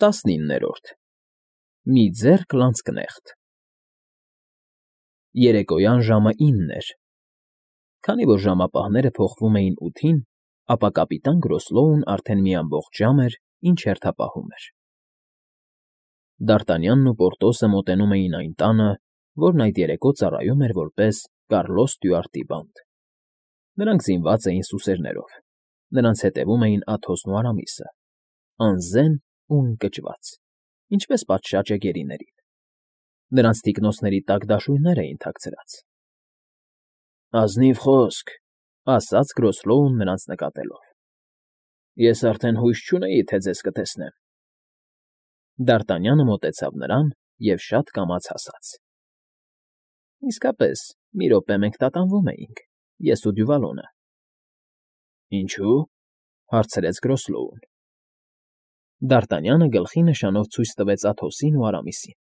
19-րդ Մի ձեռք լանցկնեղտ Երեկոյան ժամը 9 էր։ Քանի որ ժամապահները փոխվում էին 8-ին, ապա կապիտան Գրոսլոուն արդեն մի ամբողջ ժամ էր, ինչ հերթապահում էր։ Դ'Արտանյանն ու Պորտոսը մոտենում էին այն տանը, որն այդ երեկո ծառայում էր որպես Կարլոս Ստյուարտի բանտ։ Նրանք զինված էին սուսերներով, նրանց հետևում էին Աթոսն ու Արամիսը, անզեն ու ընկճված, ինչպես պատշաճ է գերիներին։ Նրանց թիկնոցների տակ դաշույններ էին թաքցրած։ «Ազնիվ խոսք,֊ ասաց Գրոսլոուն նրանց նկատելով,֊ ես արդեն հույս չունեի, թե ձեզ կտեսնեմ»։ Դ'Արտանյանը մոտեցավ նրան և շատ կամաց ասաց. «Իսկապես, մի րոպե մենք տատանվում էինք, ես ու Դյուվալոնը»։ «Ինչո՞ւ,֊ հարցրեց Գրոսլոուն։ Դ'Արտանյանը գլխի նշանով ցույց տվեց Աթոսին ու Արամիսին։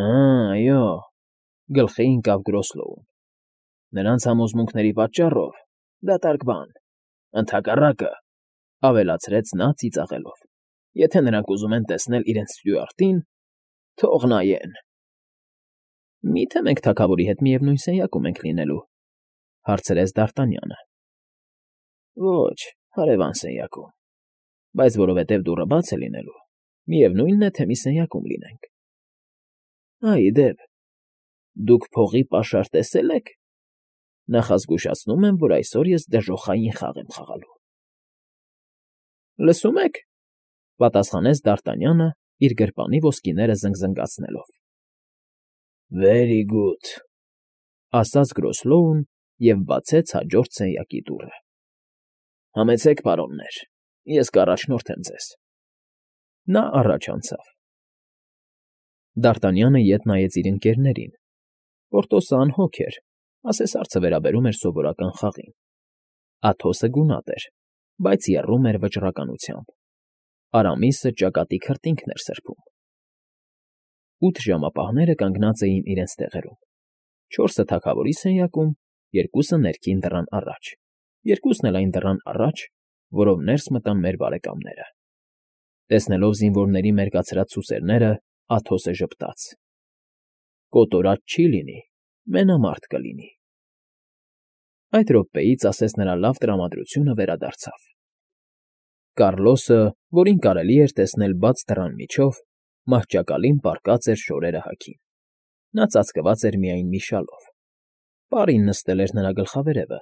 Այո,֊ գլխի ընկավ Գրոսլոուն։ «Նրանց համոզմունքների պատճառով, դատարկ բան, ընդհակառակը,֊ ավելացրեց նա ծիծաղելով,֊ եթե նրանք ուզում են տեսնել իրենց Ստյուարտին, թող նայեն»։ «Մի՞թե մենք թագավորի հետ միևնույն սենյակում ենք լինելու,֊ հարցրեց Դ'Արտանյանը։ Ոչ, հարևան սենյակում, բայց որովհետև դուռը բաց է լինելու, միևնույնն է, թե մի սենյակում լինենք։ Այ ի դեպ, դուք փողի պաշար տեսե՞լ եք։ Նախազգուշացնում եմ, որ այսօր ես դժոխային խաղ եմ խաղալու։ Լսում եք,֊ պատասխանեց Դ'Արտանյանը, իր գրպանի ոսկիները զնգզնգացնելով։ Very good,֊ ասաց Գրոսլոուն և բացեց հաջորդ սենյակի դուռը։ Համեցեք, պարոններ, ես կառաջնորդեմ ձեզ։ Նա առաջ անցավ։ Դ'Արտանյանը ետ նայեց իր ընկերներին։ Պորտոսը անհոգ էր, ասես հարցը վերաբերում էր սովորական խաղին։ Աթոսը գունատ էր, բայց եռում էր վճռականությամբ։ Արամիսը ճակատի քրտինքն էր սրբում։ 8 ժամապահները կանգնած էին իրենց տեղերում։ 4-ը թագավորի սենյակում, 2-ը ներքին դռան առաջ, 2-ն էլ այն դռան առաջ, որով ներս մտան մեր բարեկամները։ Տեսնելով զինվորների մերկացրած սուսերները, Աթոսը ժպտաց. «Կոտորած չի լինի, մենամարտ կլինի»։ Այդ րոպեից, ասես նրա լավ տրամադրությունը վերադարձավ։ Կարլոսը, որին կարելի էր տեսնել բաց դռան միջով, մահճակալին պառկած էր շորերը հագին։ Նա ծածկված էր միայն մի շալով։ Պարին նստել էր նրա գլխավերևը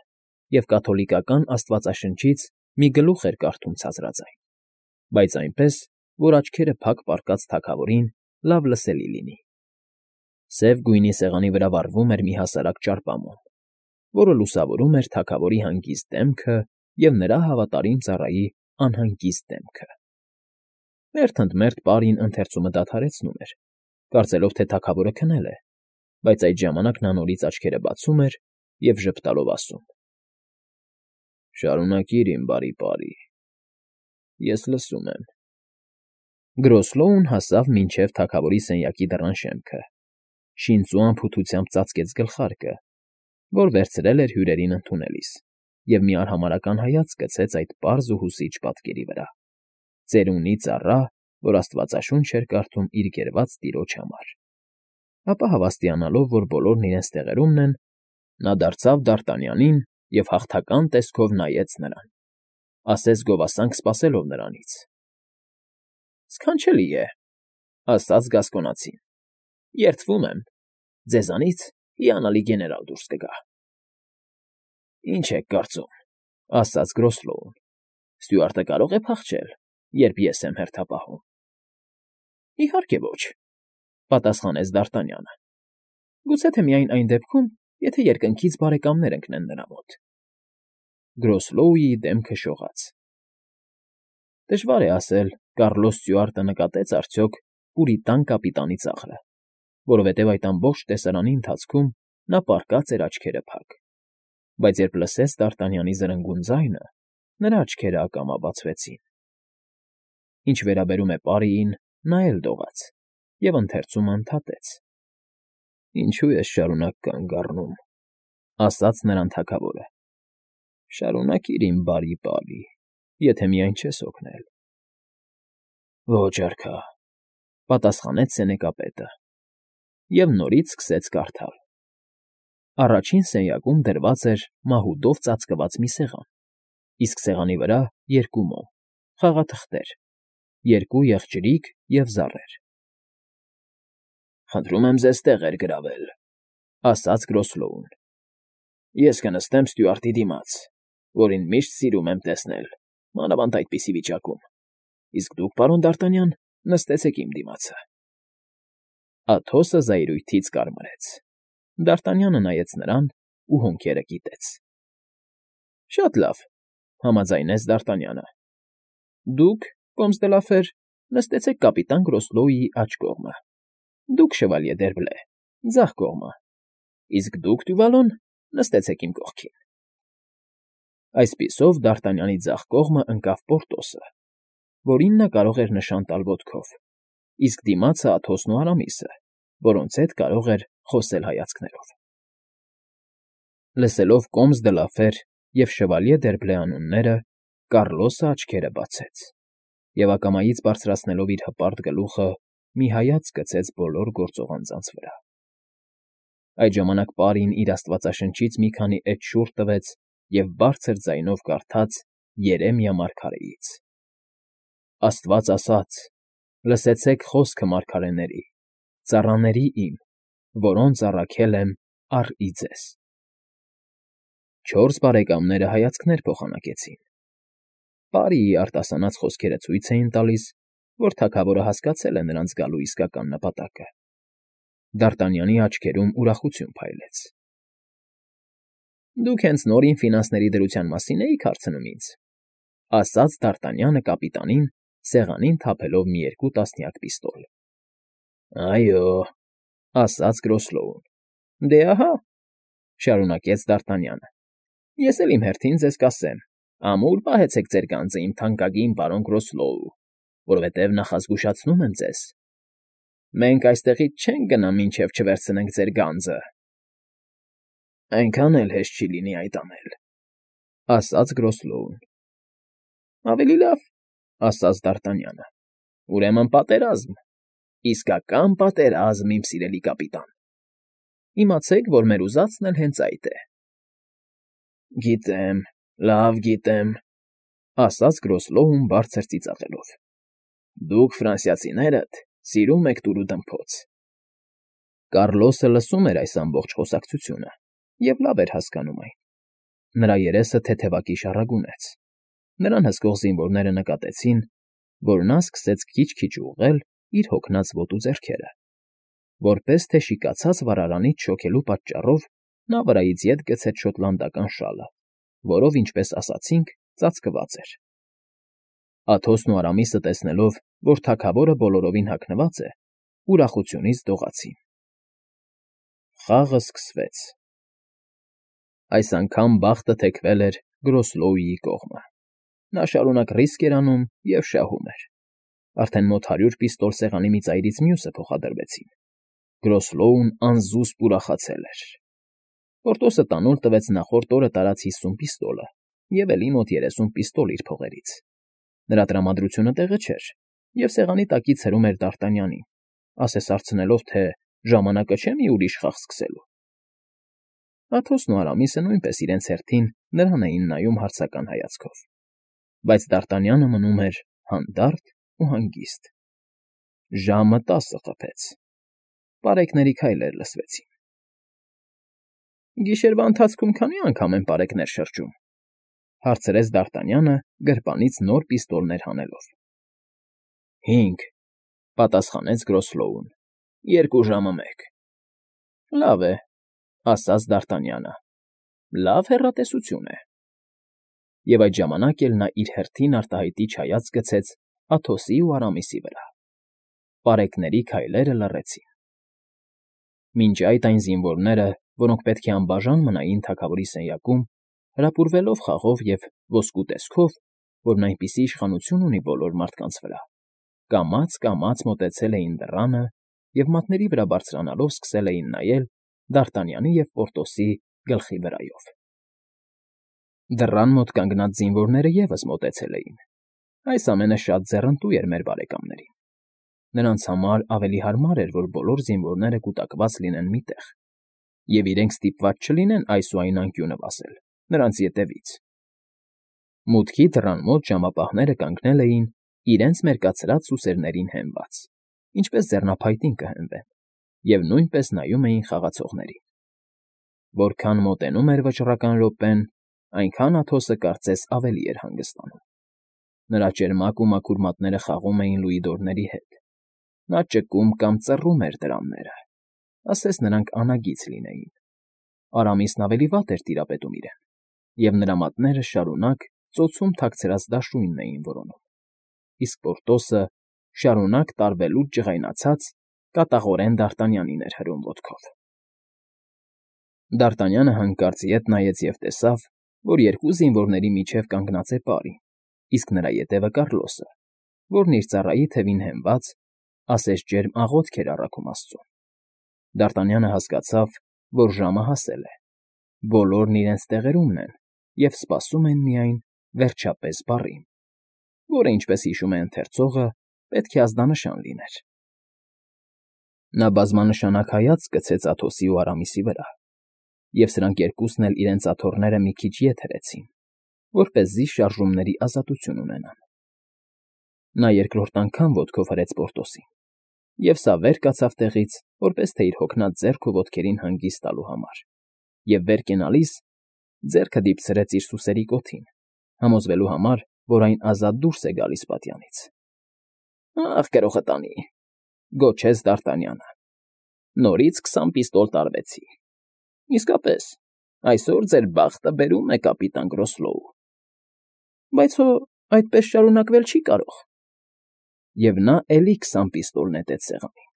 և կաթոլիկական աստվածաշնչից մի գլուխ էր կարդում ցածրաձայն, բայց այնպես, որ աչքերը փակ պառկած թագավորին լավ լսելի լինի։ Սև գույնի սեղանի վրա վառվում էր մի հասարակ ճարպամոմ, որը լուսավորում էր թագավորի հանգիստ դեմքը և նրա հավատարիմ ծառայի անհանգիստ դեմքը։ Մերթ ընդ մերթ պարին ընթերցումը դադարեցնում էր, կարծելով, թե թագավորը քնել է, բայց այդ ժամանակ նա նորից աչքերը բացում էր և ժպտալով ասում. «Շարունակիր, իմ բարի պարի, ես լսում եմ»։ Գրոսլոուն հասավ մինչև թագավորի սենյակի դռան շեմքը, շինծու անփութությամբ ծածկեց գլխարկը, որ վերցրել էր հյուրերին ընդունելիս, և մի արհամարհական հայացք գցեց այդ պարզ ու հուզիչ պատկերի վրա։ Ծերունի ծառա, որ աստվածաշունչ էր կարդում իր գերված տիրոջ համար։ Ապա հավաստիանալով, որ բոլորն իրենց տեղերումն են, նա դարձավ Դ'Արտանյանին և հաղթական տեսքով նայեց նրան, ասես գովասանք սպասելով նրանից։ «Սքանչելի է,֊ ասաց Գասկոնացին,֊ երդվում եմ, ձեզանից հիանալի գեներալ դուրս կգա»։ «Ինչ եք կարծում,֊ ասաց Գրոսլոուն,֊ Ստյուարտը կարող է փախչել, երբ ես եմ հերթապահում»։ «Իհարկե ոչ,֊ պատասխանեց Դ'Արտանյանը,֊ գուցե թե միայն այն դեպքում, եթե երկնքից բարեկամներ ընկնեն նրա մոտ»։ Գրոսլոուի դեմքը շողաց։ Դժվար է ասել, Կարլոս Ստյուարտը նկատեց արդյոք պուրիտան կապիտանի ծաղրը, որովհետև այդ ամբողջ տեսարանի ընթացքում նա պառկած էր աչքերը փակ, բայց երբ լսեց Դ'Արտանյանի զրնգուն ձայնը, նրա աչքերը ակամա բացվեցին։ Ինչ վերաբերում է պարիին, նա էլ դողաց և ընթերցումը ընդհատեց։ «Ինչո՞ւ ես շարունակ կանգ առնում,֊ ասաց նրան թագավորը։ Շարունակիր, իմ բարի պարի, եթե միայն չես օգնել»։ Ոչ, արքա,֊ պատասխանեց սենեկապետը և նորից սկսեց կարդալ. Առաջին սենյակում դրված էր մահուդով ծածկված մի սեղան, իսկ սեղանի վրա երկու մոմ, խաղաթղթեր, երկու եղջյուրիկ և զառեր։ «Խնդրում եմ ձեզ տեղեր գրավել,֊ ասաց Գրոսլոուն։ Ես կնստեմ ստյուարտի դիմաց, որին միշտ սիրում եմ տեսնել, մանավանդ այդպիսի վիճակում, իսկ դուք, պարոն Դ'Արտանյան, նստեցեք իմ դիմացը»։ Աթոսը զայրույթից կարմրեց։ Դ'Արտանյանը նայեց նրան ու հոնքերը կիտեց։ «Շատ լավ,֊ համաձայնեց Դ'Արտանյանը։ Դուք, կոմս դե Լաֆեր, նստեցեք կապիտան Գրոսլոուի աջ կողմը, դուք, շևալյե Դերբլե, ձախ կողմը, իսկ դուք, Դյուվալոն, նստեցեք իմ կողքին»։ Այսպիսով Դ'Արտանյանի ձախ կողմը ընկավ Պորտոսը, որին նա կարող էր նշան տալ ոտքով, իսկ դիմացը Աթոսն ու Արամիսը, որոնց հետ կարող էր խոսել հայացքներով։ Լսելով կոմս դե Լաֆեր և շևալյե Դերբլե անունները, Կառլոսը աչքերը բացեց և ակամայից բարձրացնելով իր հպարտ գլուխը, մի հայացք գցեց բոլոր գործող անձանց վրա։ Այդ ժամանակ պարին իր աստվածաշնչից մի քանի էջ շուռ տվեց և բարձր ձայնով կարդաց Երեմիա մարգարեից. «Աստված ասաց. լսեցեք խոսքը մարգարեների, ծառաների իմ, որոնց առաքել եմ առ ի ձեզ»։ Չորս բարեկամները հայացքներ փոխանակեցին։ Պարիի արտասանած խոսքերը ցույց էին տալիս, որ թագավորը հասկացել է նրանց գալու իսկական նպատակը։ Դ'Արտանյանի աչքերում ուրախություն փայլեց։ «Դուք հենց նոր իմ ֆինանսների դրության մասին էիք հարցնում ինձ,֊ ասաց Դ'Արտանյանը կապիտանին, սեղանին թափելով մի երկու տասնյակ պիստոլ։ «Այո,֊ ասաց Գրոսլոուն։ Դե ահա,֊ շարունակեց Դ'Արտանյանը,֊ ես էլ իմ հերթին ձեզ կասեմ. ամուր պահեցեք ձեր գանձը, իմ թանկագին պարոն Գրոսլոու, որովհետև նախազգուշացնում եմ ձեզ. մենք այստեղից չենք գնա, մինչև չվերցնենք ձեր գանձը»։ «Այնքան էլ հեշտ չի լինի այդ անել,֊ ասաց Գրոսլոուն։ «Ավելի լավ,֊ ասաց Դ'Արտանյանը,֊ ուրեմն պատերազմ, իսկական պատերազմ, իմ սիրելի կապիտան։ Իմացեք, որ մեր ուզածն էլ հենց այդ է»։ «Գիտեմ, լավ գիտեմ,֊ ասաց Գրոսլոուն բարձր ծիծաղելով։ Դուք, ֆրանսիացիներդ, սիրում եք տուրուդմփոց»։ Կառլոսը լսում էր այս ամբողջ խոսակցությունը և լավ էր հասկանում այն։ Նրա երեսը թեթևակի շառագունեց։ Նրան հսկող զինվորները նկատեցին, որ նա սկսեց քիչ֊քիչ ուղղել իր հոգնած ոտու ձեռքերը, որպես թե շիկացած վառարանից շոքելու պատճառով նա վրայից ետ գցեց շոտլանդական շալը, որով, ինչպես ասացինք, ծածկված էր։ Աթոսն ու Արամիսը տեսնելով, որ թագավորը բոլորովին հագնված է, ուրախությունից դողացին։ Խաղը սկսվեց։ Այս անգամ բախտը թեքվել էր Գրոսլոուի կողմը։ Նա շարունակ ռիսկ էր անում և շահում էր։ Արդեն մոտ 100 պիստոլ սեղանի մի ծայրից մյուսը փոխադրվեցին։ Գրոսլոուն անզուսպ ուրախացել էր։ Պորտոսը տանուլ տվեց նախորդ օրը տարած 50 պիստոլը և էլի մոտ 30 պիստոլ իր փողերից։ Նրա տրամադրությունը տեղը չէր, և սեղանի տակից հրում էր Դ'Արտանյանին, ասես հարցնելով, թե ժամանակը չէ՞ մի ուրիշ խաղ սկսելու։ Աթոսն ու Արամիսը նույնպես իրենց հերթին նրան էին նայում հարցական հայացքով, բայց Դ'Արտանյանը մնում էր հանդարտ ու հանգիստ։ Ժամը 10 խփեց։ Պարեկների քայլեր լսվեցին։ «Գիշերվա ընթացքում քանի՞ անգամ են պարեկներ շրջում,֊ հարցրեց Դ'Արտանյանը գրպանից նոր պիստոլներ հանելով։ 5,֊ պատասխանեց Գրոսլոուն,֊ 2 ժամը մեկ»։ Լավ է,֊ ասաց Դ'Արտանյանը,֊ լավ հեռատեսություն է։ Եվ այդ ժամանակ էլ նա իր հերթին արտահայտիչ հայացք գցեց Աթոսի ու Արամիսի վրա։ Պարեկների քայլերը լռեցին։ Մինչ այդ այն զինվորները, որոնք պետք է անբաժան մնային թագավորի սենյակում, հրապուրվելով խաղով և ոսկու տեսքով, որն այնպիսի իշխանություն ունի բոլոր մարդկանց վրա, կամաց֊կամաց մոտեցել էին դռանը և մատների վրա բարձրանալով սկսել էին նայել Դ'Արտանյանի և Պորտոսի գլխի վրայով։ Դռան մոտ կանգնած զինվորները ևս մոտեցել էին։ Այս ամենը շատ ձեռնտու էր մեր բարեկամներին։ Նրանց համար ավելի հարմար էր, որ բոլոր զինվորները կուտակված լինեն մի տեղ, և իրենք ստիպված չլինեն այս ու այն անկյունը վասել նրանց ետևից։ Մուտքի դռան մոտ ժամապահները կանգնել էին իրենց մերկացրած սուսերներին հենված, ինչպես ձեռնափայտին կհենվեն, և նույնպես նայում էին խաղացողներին։ Որքան մոտենում էր վճռական րոպեն, այնքան Աթոսը կարծես ավելի էր հանգստանում։ Նրա ճերմակ ու մաքուր մատները խաղում էին լուիդորների հետ։ Նա ճկում կամ ծռում էր դրամները, ասես նրանք անագիծ լինեին։ Արամիսն ավելի վատ էր տիրապետում իրեն, և նրա մատները շարունակ ծոցում թաքցրած դաշույնն էին որոնում, իսկ Պորտոսը շարունակ տարվելուց ջղայնացած կատաղորեն Դարտանյանին էր հրում ոտքով։ Դարտանյանը հանկարծ ետ նայեց և տեսավ, որ երկու զինվորների միջև կանգնած է պարի, իսկ նրա ետևը Կառլոսը, որն իր ծառայի թևին հենված, ասես ջերմ աղոթք էր առաքում աստծուն։ Դարտանյանը հասկացավ, որ ժամը հասել է, բոլորն իրենց տեղերումն են և սպասում են միայն «վերջապես» բառին, որը, ինչպես հիշում է ընթերցողը, պետք է ազդանշան լիներ։ Նա բազմանշանակ հայացք գցեց Աթոսի ու Արամիսի վրա, և սրանք երկուսն էլ իրենց աթոռները մի քիչ ետ հրեցին, որպեսզի շարժումների ազատություն ունենան։ Նա երկրորդ անգամ ոտքով հրեց Պորտոսին, և սա վեր կացավ տեղից, որպես թե իր հոգնած ձեռք ու ոտքերին հանգիստ տալու համար, և վեր կենալիս ձեռքը դիպցրեց իր սուսերի կոթին, համոզվելու համար, որ այն ազատ դուրս է գալիս պատյանից։ «Ախ, գրողը տանի,֊ գոչեց Դարտանյանը,֊ նորից 20 պիստոլ տարվեցի։ Իսկապես, այսօր ձեր բախտը բերում է, կապիտան Գրոսլոու։ Բայց հո այդպես շարունակվել չի կարող»։ Եվ նա էլի 20 պիստոլ նետեց սեղանին։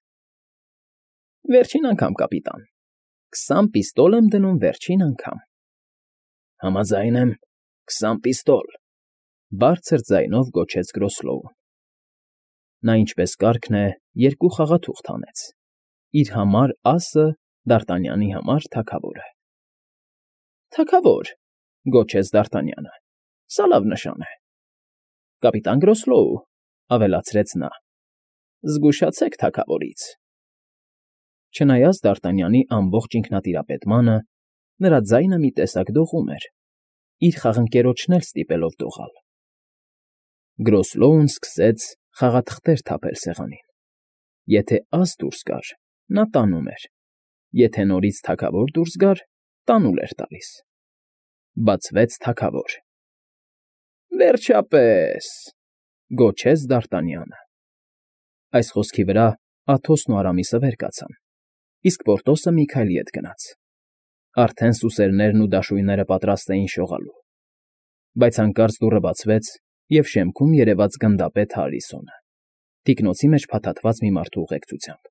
«Վերջին անգամ, կապիտան, 20 պիստոլ եմ դնում վերջին անգամ»։ «Համաձայն եմ, 20 պիստոլ», բարձր ձայնով գոչեց Գրոսլոուն։ Նա, ինչպես կարգն է, երկու խաղաթուղթ հանեց՝ իր համար ասը, Դարտանյանի համար թագավորը։ «Թագավոր,֊ գոչեց Դարտանյանը,֊ սա լավ նշան է»։ «Կապիտան Գրոսլոու,֊ ավելացրեց նա,֊ զգուշացեք թագավորից»։ Չնայած Դարտանյանի ամբողջ ինքնատիրապետմանը, նրա ձայնը մի տեսակ դողում էր, իր խաղընկերոջն էլ ստիպելով դողալ։ Գրոսլոուն սկսեց խաղաթղթեր թափել սեղանին։ Եթե աս դուրս գար, նա տանում էր, եթե նորից թագավոր դուրս գար, տանուլ էր տալիս։ Բացվեց թագավոր։ «Վերջապես,֊ գոչեց Դարտանյանը։ Այս խոսքի վրա Աթոսն ու Արամիսը վեր կացան, իսկ Պորտոսը մի քայլ ետ գնաց։ Արդեն սուսերներն ու դաշույնները պատրաստ էին շողալու։ Բայց հանկարծ դուռը բացվեց, և շեմքում երևաց գնդապետ Հարիսոնը, թիկնոցի մեջ փաթաթված մի մարդու ուղեկցությամբ։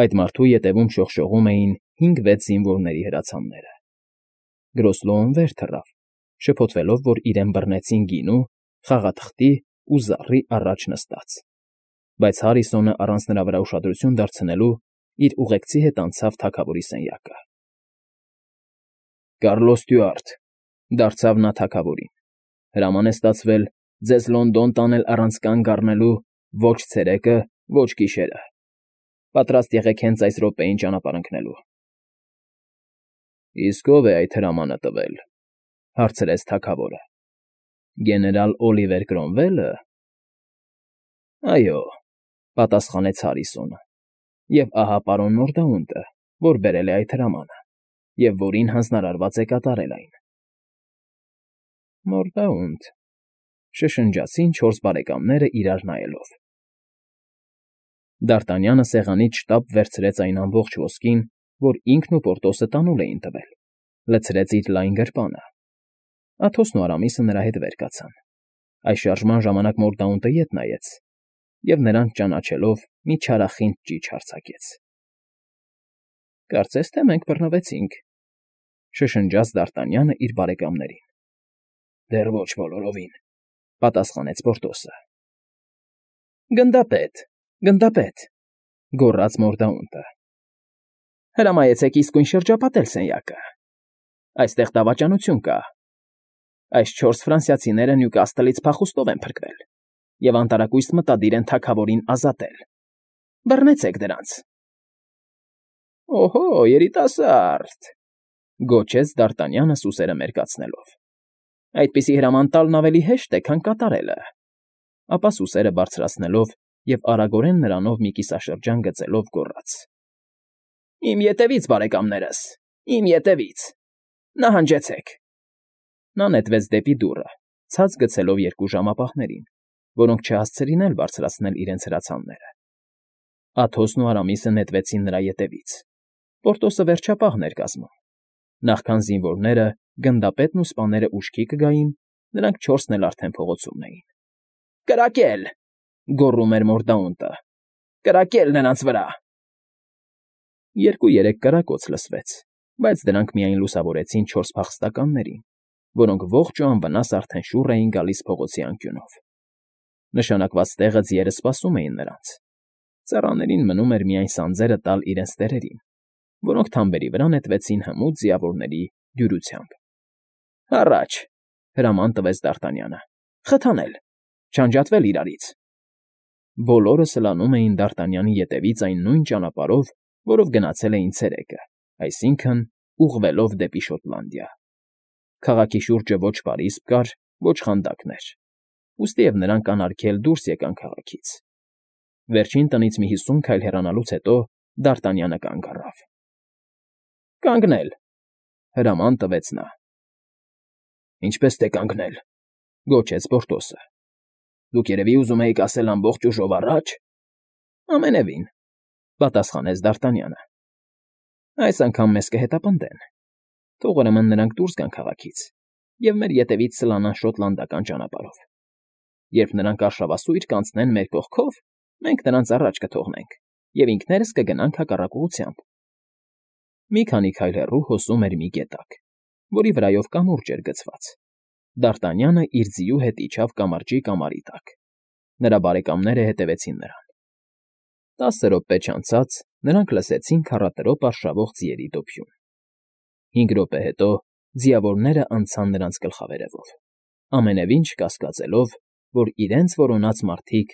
Այդ մարդու ետևում շողշողում էին 5-6 զինվորների հրացանները։ Գրոսլոուն վեր թռավ, շփոթվելով, որ իրեն բռնեցին գինու, խաղաթղթի ու զառի առաջ նստած, բայց Հարիսոնը, առանց նրա վրա ուշադրություն դարձնելու, իր ուղեկցի հետ անցավ թագավորի սենյակը։ «Կառլոս Ստյուարտ,֊ դարձավ նա թագավորին,֊ հրաման է ստացվել ձեզ Լոնդոն տանել առանց կանգ առնելու ոչ ցերեկը, ոչ գիշերը։ Պատրաստ եղեք հենց այս րոպեին ճանապարհ ընկնելու»։ «Իսկ ո՞վ է այդ հրամանը տվել,֊ հարցրեց թագավորը։ Գեներալ Օլիվեր Կրոմվելը։ «Այո,֊ պատասխանեց Հարիսոնը,֊ և ահա պարոն Մորդաունտը, որ բերել է այդ հրամանը, և որին հանձնարարված է կատարել այն»։ «Մորդաունտ,֊ շշնջացին չորս բարեկամները իրար նայելով։ Դարտանյանը սեղանից շտապ վերցրեց այն ամբողջ ոսկին, որ ինքն ու Պորտոսը տանուլ էին տվել, լցրեց իր լայն գրպանը։ Աթոսն ու Արամիսը նրա հետ վեր կացան։ Այս շարժման ժամանակ Մորդաունտը ետ նայեց և, նրանց ճանաչելով, մի չարախինդ ճիչ արձակեց։ «Կարծես թե մենք բռնվեցինք,֊ շշնջաց Դարտանյանը իր բարեկամներին։ «Դեռ ոչ բոլորովին,֊ պատասխանեց Պորտոսը։ «Գնդապետ, գնդապետ,֊ գոռաց Մորդաունտը,֊ հրամայեցեք իսկույն շրջապատել սենյակը։ Այստեղ դավաճանություն կա»։ Այս 4 ֆրանսիացիները Նյուկասթլից փախուստով են փրկվել և անտարակույս մտադիր են թագավորին ազատել։ Բռնեցեք դրանց։ Օհո, երիտասարդ,֊ գոչեց Դարտանյանը սուսերը մերկացնելով։ Այդպիսի հրաման տալն ավելի հեշտ է, քան կատարելը։ Ապա սուսերը բարձրացնելով և արագորեն նրանով մի կիսաշրջան գծելով գոռաց. Իմ ետևից, բարեկամներս, իմ ետևից… Նահանջեցեք… Նա նետվեց դեպի դուռը, ցած գցելով 2 ժամապահներին, որոնք չհասցրին էլ բարձրացնել իրենց հրացանները։ Աթոսն ու Արամիսը նետվեցին նրա ետևից։ Պորտոսը վերջապահն էր կազմում։ Նախքան զինվորները, գնդապետն ու սպաները ուշքի կգային, նրանք 4-ն էլ արդեն փողոցումն էին։ Կրակել,֊ գոռում էր Մորդաունտը,֊ կրակել նրանց վրա… 2-3 կրակոց լսվեց, բայց դրանք միայն լուսավորեցին 4 փախստականներին, որոնք ողջ ու անվնաս արդեն շուռ էին գալիս փողոցի անկյունով։ Նշանակված տեղը ձիերը սպասում էին նրանց։ Ծառաներին մնում էր միայն սանձերը տալ իրենց տերերին, որոնք թամբերի վրա նետվեցին հմուտ ձիավորների դյուրությամբ։ Առաջ,֊ հրաման տվեց Դարտանյանը,֊ խթանել, չանջատվել իրարից։ Բոլորը սլանում էին Դարտանյանի ետևից այն նույն ճանապարհով, որով գնացել էին ցերեկը, այսինքն՝ ուղղվելով դեպի Շոտլանդիա։ Քաղաքի շուրջը ոչ պարիսպ կար, ոչ խանդակներ, ուստիև նրանք անարգել դուրս եկան քաղաքից։ Վերջին տնից մի 50 քայլ հեռանալուց հետո Դարտանյանը կանգ առավ։ Կանգնել,֊ հրաման տվեց նա։ Ինչպես թե կանգնել,֊ գոչեց Պորտոսը։ Դուք երևի ուզում էիք ասել ամբողջ ուժով առաջ… Ամենևին,֊ պատասխանեց Դարտանյանը։ Այս անգամ մեզ կհետապնդեն։ Թող ուրեմն նրանք դուրս գան քաղաքից և մեր ետևից սլանան շոտլանդական ճանապարհով։ Երբ նրանք արշավասույր կանցնեն մեր կողքով, մենք նրանց առաջ կթողնենք և ինքներս կգնանք հակառակ ուղղությամբ։ Մի քանի քայլ հեռու հոսում էր մի գետակ, որի վրայով կամուրջ էր գցված։ Դարտանյանը իր ձիու հետ իջավ կամրջի կամարի տակ։ Նրա բարեկամները հետևեցին նրան։ 10 րոպե չանցած նրանք լսեցին քառատրոպ արշավող ձիերի դոփյուն։ 5 րոպե հետո ձիավորները անցան նրանց գլխավերևով, ամենևին չկասկածելով, որ իրենց որոնած մարդիկ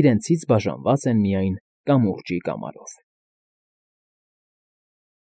իրենցից բաժանված են միայն կամուրջի կամարով։